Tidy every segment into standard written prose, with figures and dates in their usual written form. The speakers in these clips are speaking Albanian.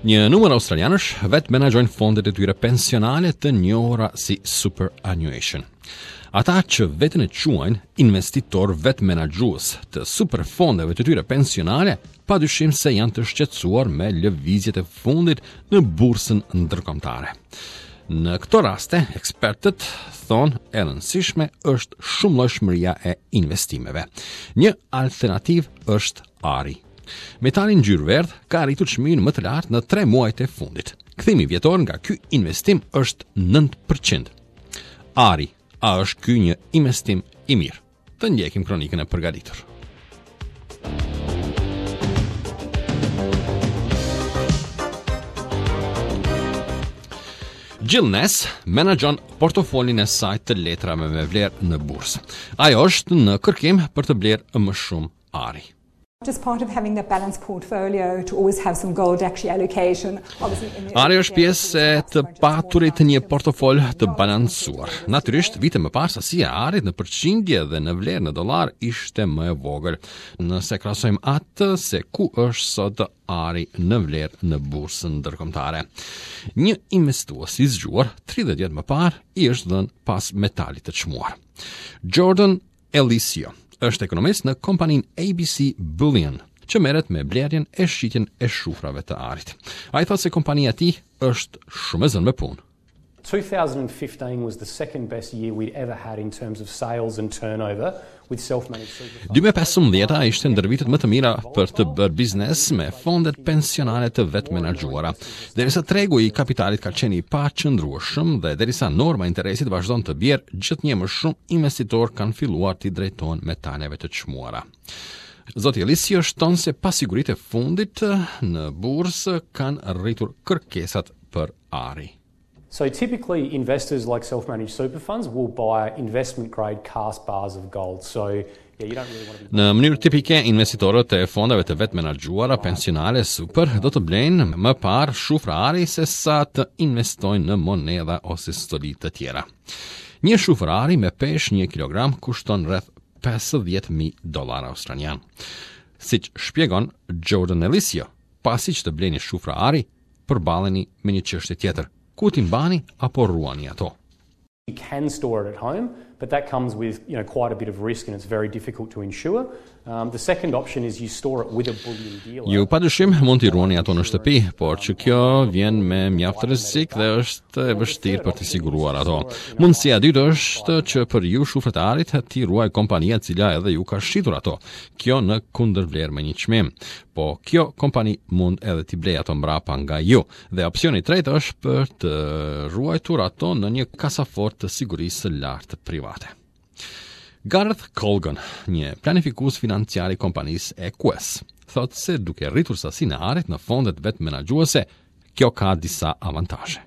Një numër australianësh vetë menaxhojnë fondet e tyre pensionale të njohura si superannuation. Ata që veten e quajnë investitorë vetëmenaxhues të superfondeve të tyre pensionale, pa dyshim se janë të shqetësuar me lëvizjet e fundit në bursën ndërkombëtare. Në këto raste, ekspertët thonë e rëndësishme është shumëllojshmëria e investimeve. Një alternativë është ari. Metali ngjyrë verdhë ka arritur çmimin më të lartë në 3 muajt e fundit. Kthimi vjetor nga ky investim është 9%. Ari, a është ky një investim i mirë? Të ndjekim kronikën e përgatitur. Jill Ness menaxhon portofolin e saj të letrave me vlerë në bursë. Ajo është në kërkim për të blerë më shumë ari. Just part of having that balanced portfolio to always have some gold actually allocation. Obviously in the Ari është pjesë e të paturit një portofol të balancuar. Natyrisht, vite më parë sasia e arit në përqindje dhe në vlerë në dollar ishte më e vogël. Nëse krahasojmë atë se ku është sot ari në vlerë në bursën ndërkombëtare. Një investues i zgjuar 30 vjet më parë i është dhënë pas metalit të çmuar. Jordan Elisio është ekonomist në kompaninë ABC Bullion, që merret me blerjen e shitjen e shufrave të arit. Ai thotë se kompania e tij është shumë e zënë me punë. 2015 was the second best year we'd ever had in terms of sales and turnover with self-managed super funds. 2015-a ishte ndër vitet më të mira për të bërë biznes me fondet pensionale të vetëmenaxhuara. Derisa tregu i kapitalit ka qenë i paqëndrueshëm dhe derisa norma e interesit vazhdon të bjerë, gjithnjë më shumë investitorë kanë filluar t'i drejtohen metaleve të çmuara. Zoti Elisio shton se pasiguritë e fundit në bursë kanë rritur kërkesat për ari. So typically investors like self-managed super funds will buy investment grade cast bars of gold. So yeah, you don't really want to be Në mënyrë tipike, investitorët e fondeve të vetëmenaxhuara pensionale super do të blejnë më parë shufra ari se sa të investojnë në monedha ose stoli të tjera. Një shufër ari me peshë 1 kg kushton rreth 50.000 dollarë australian. Siç shpjegon Jordan Elisio, pasi që të bleni shufra ari, përballeni me një çështje tjetër, ku t'i mbani apo ruani ato. You can store it at home, but that comes with, you know, quite a bit of risk and it's very difficult to insure. Um, the second option is you store it with a bullion dealer. Ju padyshim mund t'i ruani ato në shtëpi, por që kjo vjen me mjaft rrezik dhe është e vështirë për t'i siguruar ato. Mundësia e dytë është që për ju shufrat e arit t'i ruajë kompania e cila edhe ju ka shitur ato. Kjo në kundërvlerë me një çmim. Po kjo kompani mund edhe t'i blejë ato mbrapa nga ju. Dhe opsioni i tretë është për të ruajtur ato në një kasafortë të sigurisë së lartë private. Gareth Colgan, një planifikues financiar i kompanisë Equus, thotë se duke rritur sasinë e arit në fondet vetëmenaxhuese, kjo ka disa avantazhe.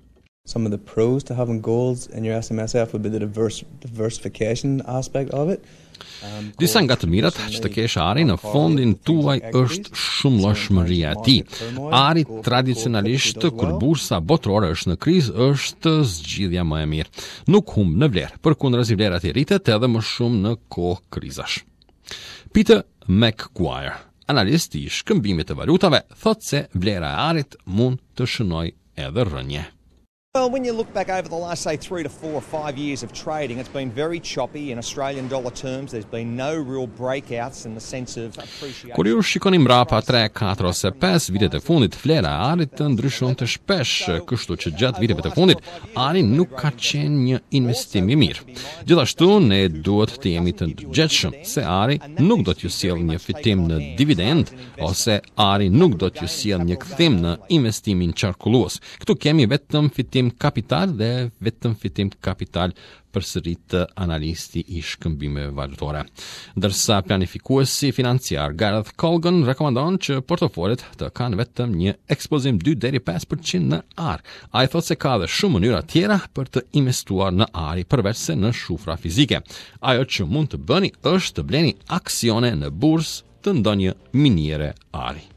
Some of the pros to having gold in your SMSF would be the diverse, diversification aspect of it. Um, Disa nga të mirat që të kesh ari në fondin tuaj është shumëllojshmëria e tij. Ari tradicionalisht kur bursa botërore është në krizë është zgjidhja më e mirë. Nuk humb në vlerë, përkundrazi vlera e tij rritet edhe më shumë në kohë krizash. Peter McGuire, analist i shkëmbimit të valutave, thotë se vlera e arit mund të shënojë edhe rënie. Well, when you look back over the last, say, three to four or five years of trading, it's been very choppy in Australian dollar terms. There's been no real breakouts in the sense of appreciation. Kur ju shikoni mbrapa 3, 4 ose 5 vitet e fundit, vlera e arit të ndryshonte shpesh, kështu që gjatë viteve të fundit, ari nuk ka qenë një investim i mirë. Gjithashtu, ne duhet të jemi të ndërgjegjshëm se ari nuk do t'ju sjellë një fitim në dividend ose ari nuk do t'ju sjellë një kthim në investimin qarkullues. Këtu kemi vetëm fitim kapital dhe vetëm fitim kapital përsërit analisti i shkëmbimeve valutore. Ndërsa planifikuesi financiar Gareth Colgan rekomandon që portofolet të kanë vetëm një ekspozim 2 deri 5% në ar. Ai thotë se ka edhe shumë mënyra tjera për të investuar në ari përveç se në shufra fizike. Ajo që mund të bëni është të bleni aksione në bursë të ndonjë miniere ari.